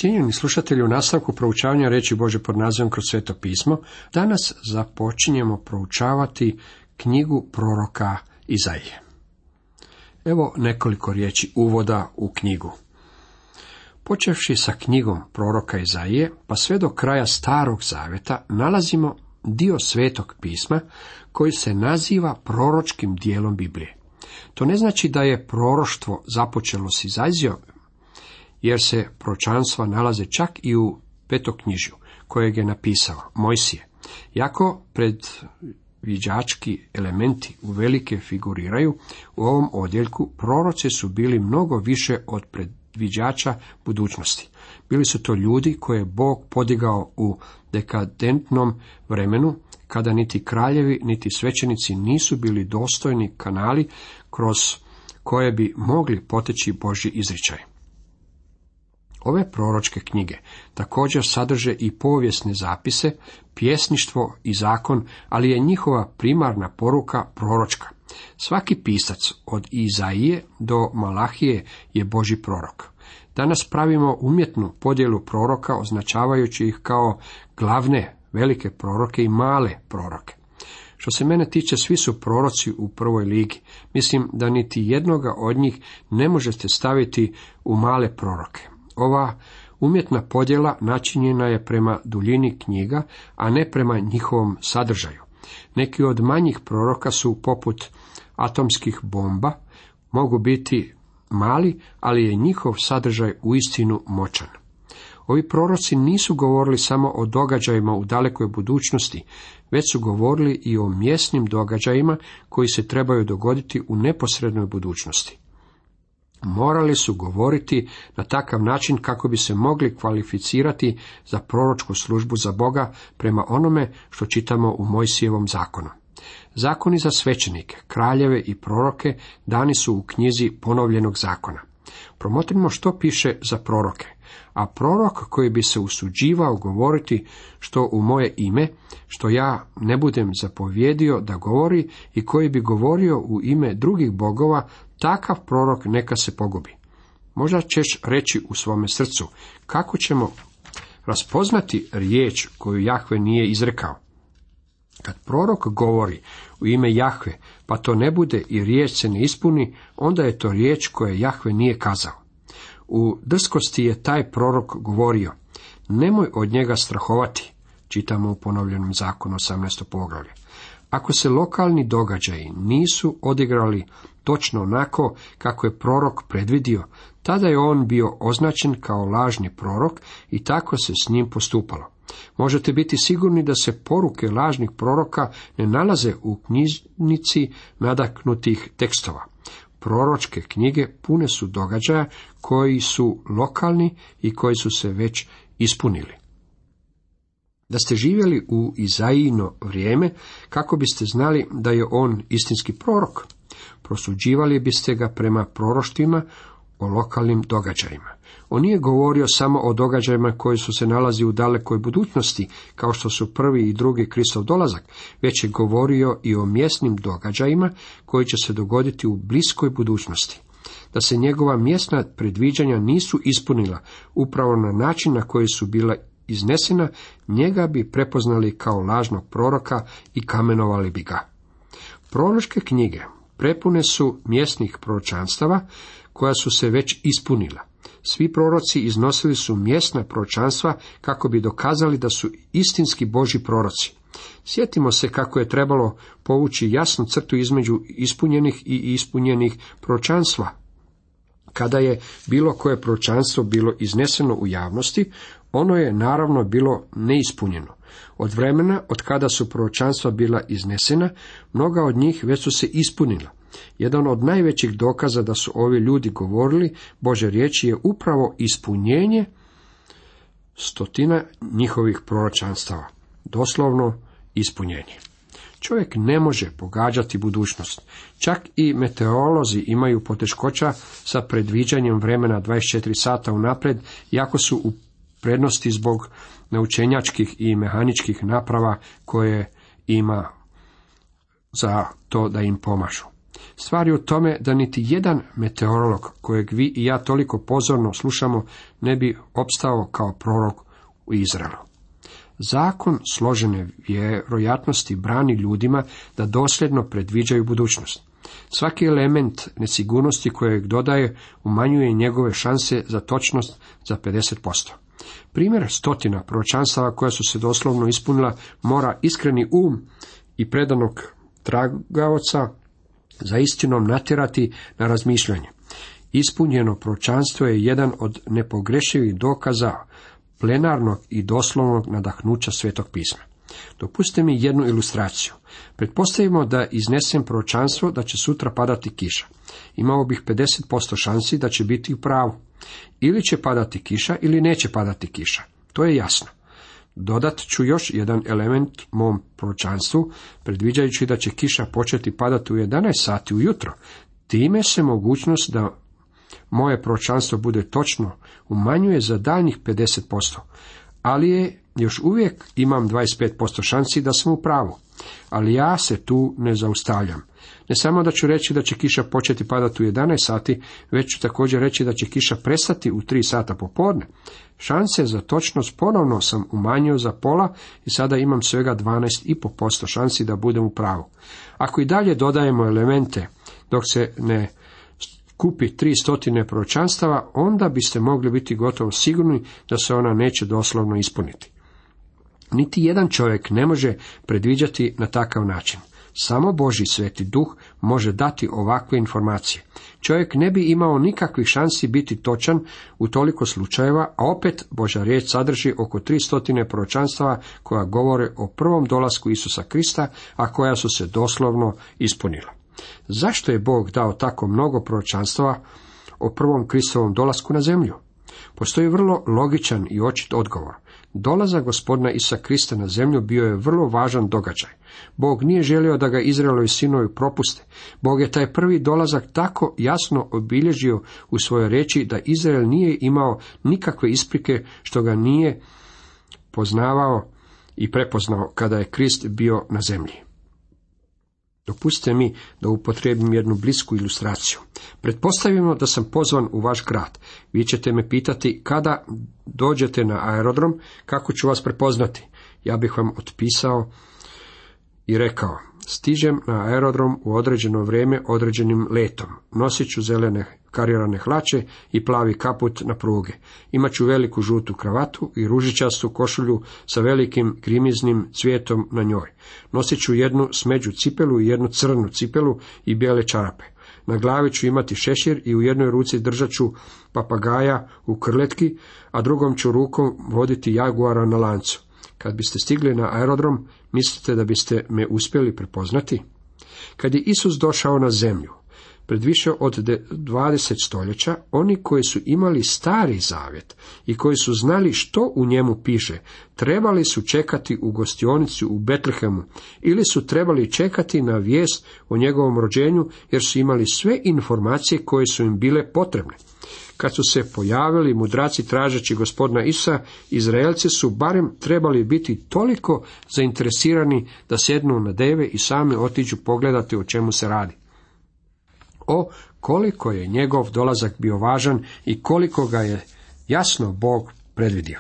Cijenjeni slušatelji, u nastavku proučavanja riječi Božje pod nazivom Kroz Sveto pismo, danas započinjemo proučavati knjigu proroka Izaije. Evo nekoliko riječi uvoda u knjigu. Počevši sa knjigom proroka Izaije, pa sve do kraja Starog zavjeta, nalazimo dio Svetog pisma koji se naziva proročkim dijelom Biblije. To ne znači da je proroštvo započelo s Izajijom, jer se proročanstva nalaze čak i u Petoknjižju, kojeg je napisao Mojsije. Jako predviđački elementi uvelike figuriraju u ovom odjeljku, proroci su bili mnogo više od predviđača budućnosti. Bili su to ljudi koje je Bog podigao u dekadentnom vremenu, kada niti kraljevi, niti svećenici nisu bili dostojni kanali kroz koje bi mogli poteći Božji izričaj. Ove proročke knjige također sadrže i povijesne zapise, pjesništvo i zakon, ali je njihova primarna poruka proročka. Svaki pisac od Izaije do Malahije je Božji prorok. Danas pravimo umjetnu podjelu proroka, označavajući ih kao glavne, velike proroke i male proroke. Što se mene tiče, svi su proroci u prvoj ligi. Mislim da niti jednoga od njih ne možete staviti u male proroke. Ova umjetna podjela načinjena je prema duljini knjiga, a ne prema njihovom sadržaju. Neki od manjih proroka su poput atomskih bomba, mogu biti mali, ali je njihov sadržaj uistinu moćan. Ovi proroci nisu govorili samo o događajima u dalekoj budućnosti, već su govorili i o mjesnim događajima koji se trebaju dogoditi u neposrednoj budućnosti. Morali su govoriti na takav način kako bi se mogli kvalificirati za proročku službu za Boga prema onome što čitamo u Mojsijevom zakonu. Zakoni za svećenike, kraljeve i proroke dani su u knjizi ponovljenog zakona. Promotrimo što piše za proroke. A prorok koji bi se usuđivao govoriti što u moje ime, što ja ne budem zapovjedio da govori, i koji bi govorio u ime drugih bogova, takav prorok neka se pogubi. Možda ćeš reći u svome srcu, kako ćemo raspoznati riječ koju Jahve nije izrekao? Kad prorok govori u ime Jahve, pa to ne bude i riječ se ne ispuni, onda je to riječ koju Jahve nije kazao. U drskosti je taj prorok govorio, nemoj od njega strahovati, čitamo u ponovljenom zakonu 18. poglavlje. Ako se lokalni događaji nisu odigrali točno onako kako je prorok predvidio, tada je on bio označen kao lažni prorok i tako se s njim postupalo. Možete biti sigurni da se poruke lažnih proroka ne nalaze u knjižnici nadaknutih tekstova. Proročke knjige pune su događaja koji su lokalni i koji su se već ispunili. Da ste živjeli u Izajino vrijeme, kako biste znali da je on istinski prorok? Prosuđivali biste ga prema proroštvima o lokalnim događajima. On nije govorio samo o događajima koji su se nalazi u dalekoj budućnosti, kao što su prvi i drugi Kristov dolazak, već je govorio i o mjesnim događajima koji će se dogoditi u bliskoj budućnosti. Da se njegova mjesna predviđanja nisu ispunila upravo na način na koji su bila iznesena, njega bi prepoznali kao lažnog proroka i kamenovali bi ga. Proročke knjige prepune su mjesnih proročanstava koja su se već ispunila. Svi proroci iznosili su mjesna proročanstva kako bi dokazali da su istinski Božji proroci. Sjetimo se kako je trebalo povući jasnu crtu između ispunjenih i ispunjenih proročanstva. Kada je bilo koje proročanstvo bilo izneseno u javnosti, ono je naravno bilo neispunjeno. Od vremena od kada su proročanstva bila iznesena, mnoga od njih već su se ispunila. Jedan od najvećih dokaza da su ovi ljudi govorili Božje riječi je upravo ispunjenje stotina njihovih proročanstava. Doslovno ispunjenje. Čovjek ne može pogađati budućnost. Čak i meteorolozi imaju poteškoća sa predviđanjem vremena 24 sata unaprijed, iako su u prednosti zbog naučenjačkih i mehaničkih naprava koje ima za to da im pomažu. Stvar je u tome da niti jedan meteorolog, kojeg vi i ja toliko pozorno slušamo, ne bi opstao kao prorok u Izraelu. Zakon složene vjerojatnosti brani ljudima da dosljedno predviđaju budućnost. Svaki element nesigurnosti kojeg dodaje umanjuje njegove šanse za točnost za 50%. Primjer stotina proročanstava koja su se doslovno ispunila mora iskreni i predanog tragaoca za istinom natjerati na razmišljanje. Ispunjeno proročanstvo je jedan od nepogrešivih dokaza plenarnog i doslovnog nadahnuća Svetog pisma. Dopustite mi jednu ilustraciju. Pretpostavimo da iznesem proročanstvo da će sutra padati kiša. Imao bih 50% šansi da će biti u pravu. Ili će padati kiša ili neće padati kiša. To je jasno. Dodat ću još jedan element mom proročanstvu, predviđajući da će kiša početi padati u 11 sati ujutro. Time se mogućnost da moje proročanstvo bude točno umanjuje za daljnjih 50%, ali je još uvijek imam 25% šansi da sam u pravu. Ali ja se tu ne zaustavljam. Ne samo da ću reći da će kiša početi padati u 11 sati, već ću također reći da će kiša prestati u 3 sata popodne. Šanse za točnost ponovno sam umanjio za pola i sada imam svega 12,5% šansi da budem u pravu. Ako i dalje dodajemo elemente dok se ne kupi 300 proročanstava, onda biste mogli biti gotovo sigurni da se ona neće doslovno ispuniti. Niti jedan čovjek ne može predviđati na takav način. Samo Božji Sveti Duh može dati ovakve informacije. Čovjek ne bi imao nikakvih šansi biti točan u toliko slučajeva, a opet Božja riječ sadrži oko 300 proročanstava koja govore o prvom dolasku Isusa Krista, a koja su se doslovno ispunila. Zašto je Bog dao tako mnogo proročanstava o prvom Kristovom dolasku na zemlju? Postoji vrlo logičan i očit odgovor. Dolazak Gospodina Isusa Krista na zemlju bio je vrlo važan događaj. Bog nije želio da ga Izraelovi sinovi propuste. Bog je taj prvi dolazak tako jasno obilježio u svojoj riječi da Izrael nije imao nikakve isprike što ga nije poznavao i prepoznao kada je Krist bio na zemlji. Dopustite mi da upotrijebim jednu blisku ilustraciju. Pretpostavimo da sam pozvan u vaš grad. Vi ćete me pitati kada dođete na aerodrom, kako ću vas prepoznati. Ja bih vam otpisao i rekao, stižem na aerodrom u određeno vrijeme određenim letom. Nosit ću zelene karirane hlače i plavi kaput na pruge. Imat ću veliku žutu kravatu i ružičastu košulju sa velikim grimiznim cvijetom na njoj. Nosit ću jednu smeđu cipelu i jednu crnu cipelu i bijele čarape. Na glavi ću imati šešir i u jednoj ruci držat ću papagaja u krletki, a drugom ću rukom voditi jaguara na lancu. Kad biste stigli na aerodrom, mislite da biste me uspjeli prepoznati? Kad je Isus došao na zemlju, pred više od 20 stoljeća, oni koji su imali Stari Zavjet i koji su znali što u njemu piše, trebali su čekati u gostionici u Betlehemu ili su trebali čekati na vijest o njegovom rođenju jer su imali sve informacije koje su im bile potrebne. Kad su se pojavili mudraci tražeći Gospodina Isusa, Izraelci su barem trebali biti toliko zainteresirani da sjednu na deve i sami otiđu pogledati o čemu se radi. O, koliko je njegov dolazak bio važan i koliko ga je jasno Bog predvidio.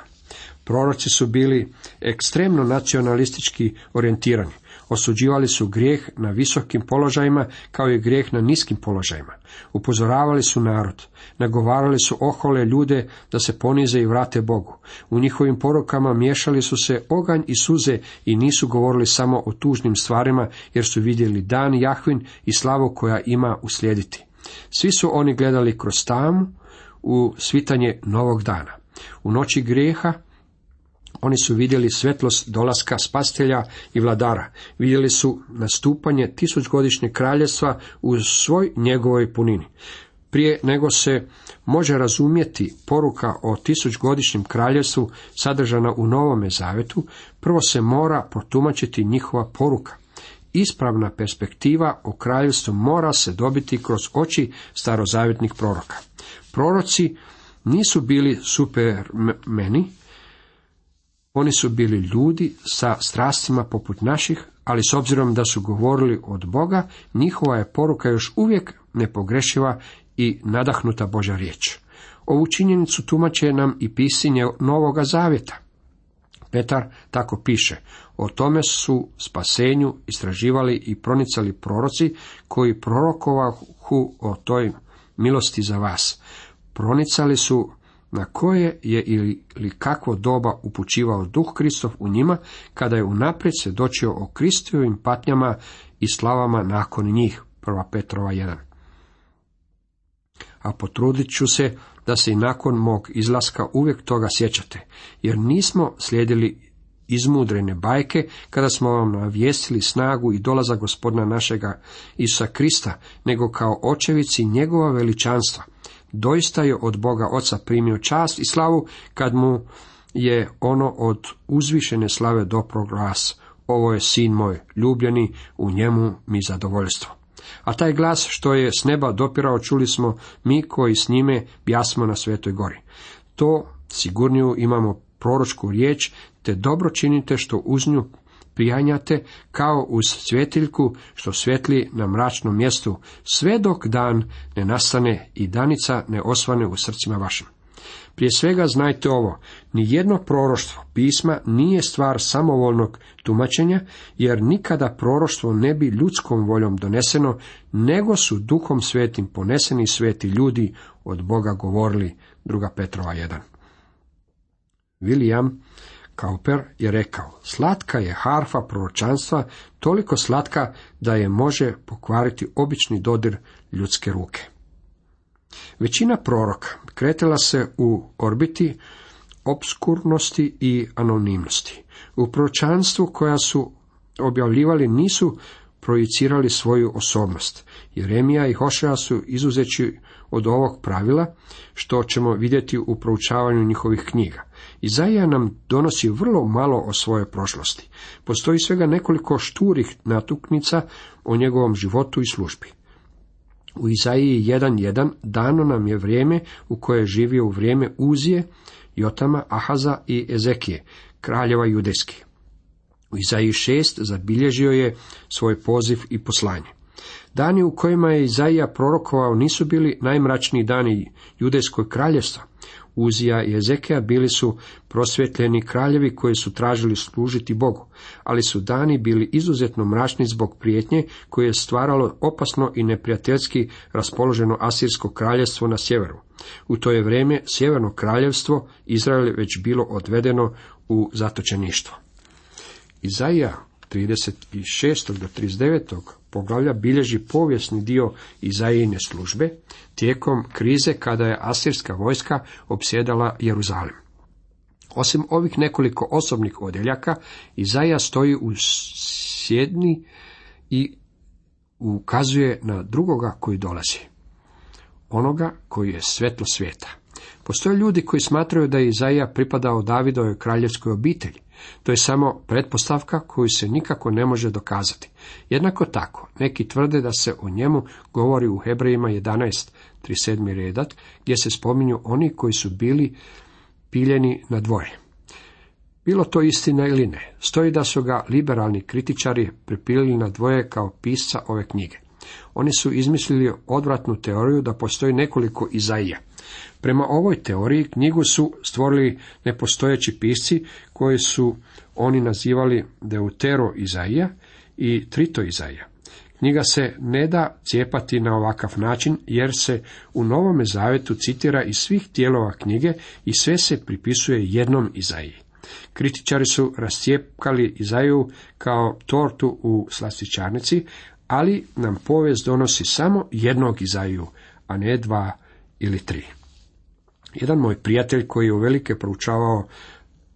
Proroci su bili ekstremno nacionalistički orijentirani. Osuđivali su grijeh na visokim položajima kao i grijeh na niskim položajima. Upozoravali su narod. Nagovarali su ohole ljude da se ponize i vrate Bogu. U njihovim porukama miješali su se oganj i suze i nisu govorili samo o tužnim stvarima jer su vidjeli dan Jahvin i slavu koja ima uslijediti. Svi su oni gledali kroz tamu u svitanje novog dana. U noći grijeha oni su vidjeli svjetlost dolaska spasitelja i vladara. Vidjeli su nastupanje 1000-godišnjeg kraljevstva u svoj njegovoj punini. Prije nego se može razumjeti poruka o 1000-godišnjem kraljevstvu sadržana u Novome Zavetu, prvo se mora protumačiti njihova poruka. Ispravna perspektiva o kraljevstvu mora se dobiti kroz oči starozavjetnih proroka. Proroci nisu bili supermeni, oni su bili ljudi sa strastima poput naših, ali s obzirom da su govorili od Boga, njihova je poruka još uvijek nepogrešiva i nadahnuta Božja riječ. Ovu činjenicu tumače nam i pisanje Novoga zavjeta. Petar tako piše: o tome su spasenju istraživali i pronicali proroci koji prorokovahu o toj milosti za vas. Pronicali su na koje je ili kakvo doba upućivao Duh Kristov u njima, kada je unaprijed svjedočio o Kristovim patnjama i slavama nakon njih. 1. Petrova 1. A potrudit ću se da se i nakon mog izlaska uvijek toga sjećate, jer nismo slijedili izmudrene bajke kada smo vam navijestili snagu i dolazak Gospodina našega Isusa Krista, nego kao očevici njegova veličanstva. Doista je od Boga Oca primio čast i slavu kad mu je ono od uzvišene slave dopro glas: ovo je sin moj ljubljeni, u njemu mi zadovoljstvo. A taj glas što je s neba dopirao čuli smo mi koji s njime bjasmo na Svetoj gori. To sigurniju imamo proročku riječ, te dobro činite što uz nju prijanjate, kao uz svjetiljku što svijetli na mračnom mjestu, sve dok dan ne nastane i danica ne osvane u srcima vašim. Prije svega znajte ovo: nijedno proroštvo pisma nije stvar samovoljnog tumačenja, jer nikada proroštvo ne bi ljudskom voljom doneseno, nego su Duhom Svetim poneseni sveti ljudi od Boga govorili. 2. Petrova 1. William Cowper je rekao: slatka je harfa proročanstva, toliko slatka da je može pokvariti obični dodir ljudske ruke. Većina proroka kretala se u orbiti obskurnosti i anonimnosti. U proročanstvu koja su objavljivali nisu projicirali svoju osobnost. Jeremija i Hošea su izuzeći od ovog pravila, što ćemo vidjeti u proučavanju njihovih knjiga. Izaija nam donosi vrlo malo o svojoj prošlosti. Postoji svega nekoliko šturih natuknica o njegovom životu i službi. U Izaiji 1.1 dano nam je vrijeme u koje je živio u vrijeme Uzije, Jotama, Ahaza i Ezekije, kraljeva judejskih. U Izaiji 6 zabilježio je svoj poziv i poslanje. Dani u kojima je Izaija prorokovao nisu bili najmračniji dani judejskog kraljevstva. Uzija i Ezekija bili su prosvjetljeni kraljevi koji su tražili služiti Bogu, ali su dani bili izuzetno mračni zbog prijetnje koje je stvaralo opasno i neprijateljski raspoloženo Asirsko kraljevstvo na sjeveru. U to je vrijeme sjeverno kraljevstvo Izrael već bilo odvedeno u zatočeništvo. Izaija 36. do 39. poglavlja bilježi povijesni dio Izaijine službe tijekom krize kada je asirska vojska opsjedala Jeruzalem. Osim ovih nekoliko osobnih odjeljaka, Izaija stoji u sjedni i ukazuje na drugoga koji dolazi, onoga koji je svjetlo svijeta. Postoje ljudi koji smatraju da je Izaija pripadao Davidovoj kraljevskoj obitelji. To je samo pretpostavka koju se nikako ne može dokazati. Jednako tako, neki tvrde da se o njemu govori u Hebrejima 11.37. redak, gdje se spominju oni koji su bili piljeni na dvoje. Bilo to istina ili ne, stoji da su ga liberalni kritičari pripilili na dvoje kao pisca ove knjige. Oni su izmislili odvratnu teoriju da postoji nekoliko Izaija. Prema ovoj teoriji knjigu su stvorili nepostojeći pisci koji su oni nazivali Deutero Izaija i Trito Izaija. Knjiga se ne da cijepati na ovakav način, jer se u Novome Zavjetu citira iz svih dijelova knjige i sve se pripisuje jednom Izaiji. Kritičari su rascijepkali Izaiju kao tortu u slastičarnici, ali nam povijest donosi samo jednog Izaiju, a ne 2 ili 3. Jedan moj prijatelj koji je uvelike proučavao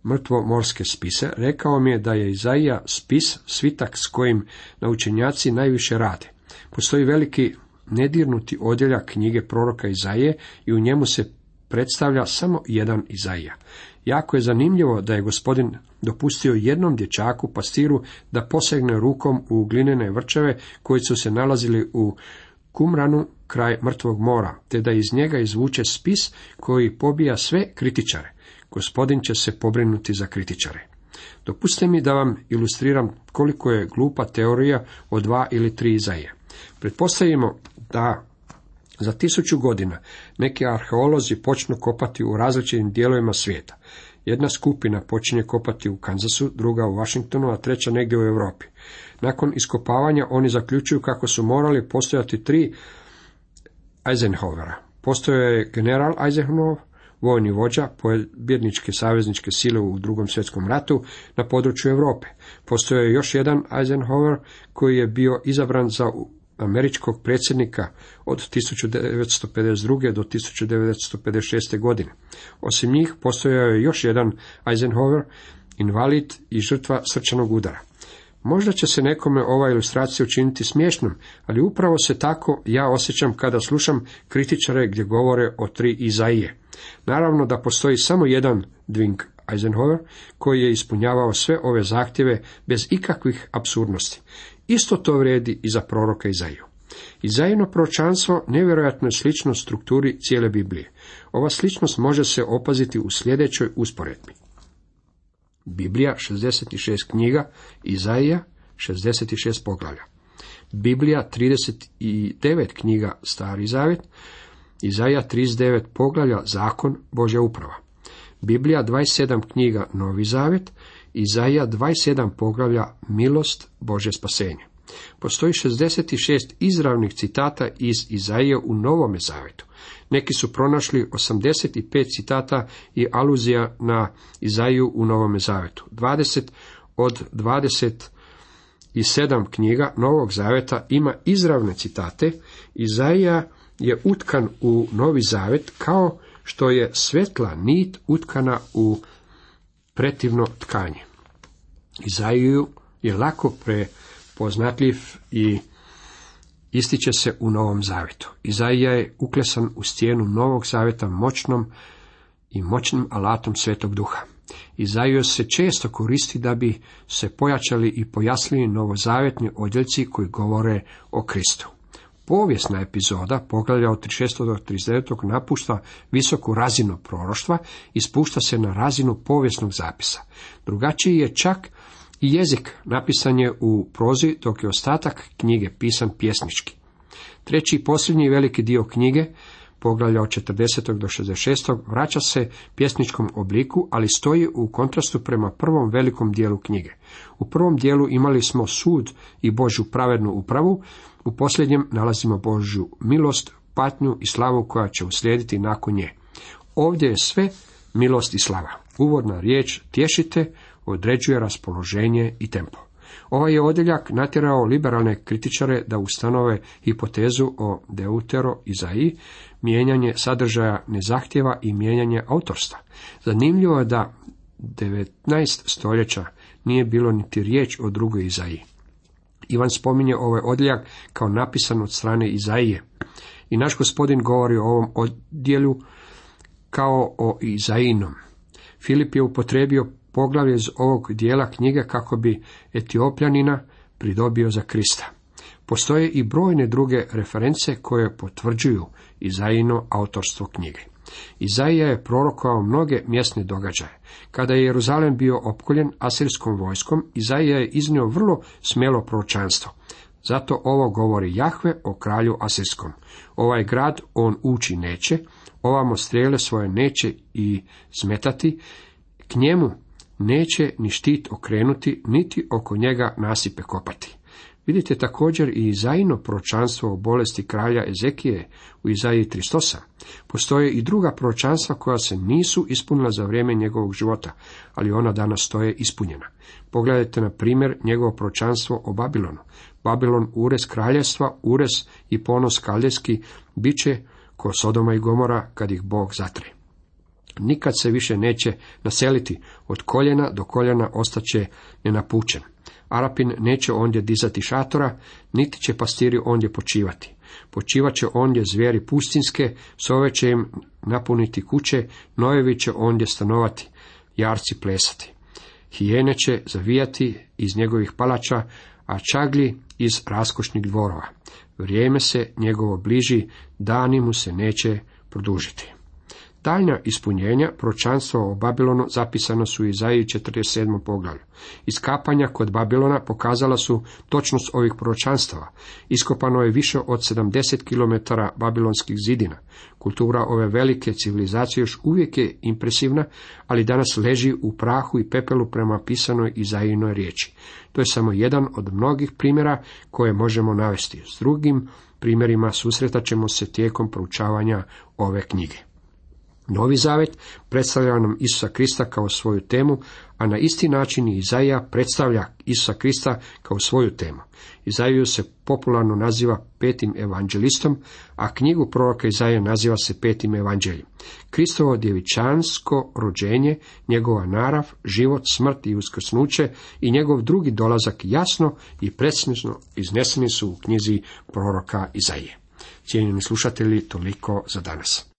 mrtvomorske spise, rekao mi je da je Izaija spis svitak s kojim naučenjaci najviše rade. Postoji veliki nedirnuti odjeljak knjige proroka Izaije i u njemu se predstavlja samo jedan Izaija. Jako je zanimljivo da je Gospodin dopustio jednom dječaku pastiru da posegne rukom u glinene vrčeve koji su se nalazili u Kumranu kraj Mrtvog mora, te da iz njega izvuče spis koji pobija sve kritičare. Gospodin će se pobrinuti za kritičare. Dopustite mi da vam ilustriram koliko je glupa teorija o 2 ili 3 Izaije. Pretpostavimo da za 1000 godina neki arheolozi počnu kopati u različitim dijelovima svijeta. Jedna skupina počinje kopati u Kansasu, druga u Washingtonu, a treća negdje u Europi. Nakon iskopavanja oni zaključuju kako su morali postojati 3 Eisenhowera. Postojao je general Eisenhower, vojni vođa pobjedničke savezničke sile u Drugom svjetskom ratu na području Europe. Postojao je još jedan Eisenhower koji je bio izabran za američkog predsjednika od 1952. do 1956. godine. Osim njih postojao je još jedan Eisenhower, invalid i žrtva srčanog udara. Možda će se nekome ova ilustracija učiniti smiješnom, ali upravo se tako ja osjećam kada slušam kritičare gdje govore o 3 Izaije. Naravno da postoji samo jedan Dwight Eisenhower koji je ispunjavao sve ove zahtjeve bez ikakvih apsurdnosti. Isto to vrijedi i za proroka Izaiju. Izajino proročanstvo nevjerojatno je slično strukturi cijele Biblije. Ova sličnost može se opaziti u sljedećoj usporedbi. Biblija 66 knjiga, Izaija 66 poglavlja. Biblija 39 knjiga, Stari zavjet, Izaija 39 poglavlja, Zakon, Božja uprava. Biblija 27 knjiga, Novi zavjet, Izaija 27 poglavlja, Milost, Božje spasenje. Postoji 66 izravnih citata iz Izaije u Novome zavjetu. Neki su pronašli 85 citata i aluzija na Izaiju u Novome zavjetu. 20 od 27 knjiga Novog zavjeta ima izravne citate. Izaija je utkan u Novi zavjet kao što je svetla nit utkana u pretivno tkanje. Izaiju je lako prepoznatljiv i ističe se u Novom zavjetu. Izaija je uklesan u stijenu Novog zavjeta moćnim alatom Svetog Duha. Izaiju se često koristi da bi se pojačali i pojasnili novozavjetni odjeljci koji govore o Kristu. Povijesna epizoda, poglavlja od 36. do 39. napušta visoku razinu proroštva i spušta se na razinu povijesnog zapisa. Drugačiji je čak i jezik, napisan je u prozi, dok je ostatak knjige pisan pjesnički. Treći i posljednji veliki dio knjige, poglavlja od 40. do 66. vraća se pjesničkom obliku, ali stoji u kontrastu prema prvom velikom dijelu knjige. U prvom dijelu imali smo sud i Božju pravednu upravu, u posljednjem nalazimo Božju milost, patnju i slavu koja će uslijediti nakon nje. Ovdje je sve milost i slava. Uvodna riječ tješite određuje raspoloženje i tempo. Ovaj je odjeljak natjerao liberalne kritičare da ustanove hipotezu o deutero-Izaiji, mijenjanje sadržaja ne zahtjeva i mijenjanje autorstva. Zanimljivo je da 19 stoljeća nije bilo niti riječ o drugoj Izaiji. Ivan spominje ovaj odjeljak kao napisan od strane Izaije. I naš Gospodin govori o ovom odjelju kao o Izaijinom. Filip je upotrijebio poglavlje iz ovog dijela knjige kako bi Etiopljanina pridobio za Krista. Postoje i brojne druge reference koje potvrđuju Izaijino autorstvo knjige. Izaija je prorokovao mnoge mjesne događaje. Kada je Jeruzalem bio opkoljen asirskom vojskom, Izaija je iznio vrlo smjelo proročanstvo. Zato ovo govori Jahve o kralju asirskom. Ovaj grad on ući neće, ovamo strijele svoje neće i smetati, k njemu neće ni štit okrenuti, niti oko njega nasipe kopati. Vidite također i Izaijino proročanstvo o bolesti kralja Ezekije u Izaiji 38. Postoje i druga proročanstva koja se nisu ispunila za vrijeme njegovog života, ali ona danas stoje ispunjena. Pogledajte na primjer njegovo proročanstvo o Babilonu. Babilon, urez kraljevstva, urez i ponos kaldejski, bit će ko Sodoma i Gomora kad ih Bog zatre. Nikad se više neće naseliti, od koljena do koljena ostaće nenapučen. Arapin neće ondje dizati šatora, niti će pastiri ondje počivati. Počivat će ondje zvijeri pustinske, sove će im napuniti kuće, nojevi će ondje stanovati, jarci plesati. Hijene će zavijati iz njegovih palača, a čaglji iz raskošnih dvorova. Vrijeme se njegovo bliži, dani mu se neće produžiti. Daljnja ispunjenja proročanstva o Babilonu zapisano su u Izaiji 47. poglavlju. Iskapanja kod Babilona pokazala su točnost ovih proročanstava. Iskopano je više od 70 km babilonskih zidina. Kultura ove velike civilizacije još uvijek je impresivna, ali danas leži u prahu i pepelu prema pisanoj Izaijinoj riječi. To je samo jedan od mnogih primjera koje možemo navesti. S drugim primjerima susretat ćemo se tijekom proučavanja ove knjige. Novi Zavet predstavlja nam Isusa Krista kao svoju temu, a na isti način i Izaija predstavlja Isusa Krista kao svoju temu. Izaiju se popularno naziva petim evanđelistom, a knjigu proroka Izaije naziva se petim evanđeljem. Kristovo djevičansko rođenje, njegova narav, život, smrt i uskrsnuće i njegov drugi dolazak jasno i precizno izneseni su u knjizi proroka Izaije. Cijenjeni slušatelji, toliko za danas.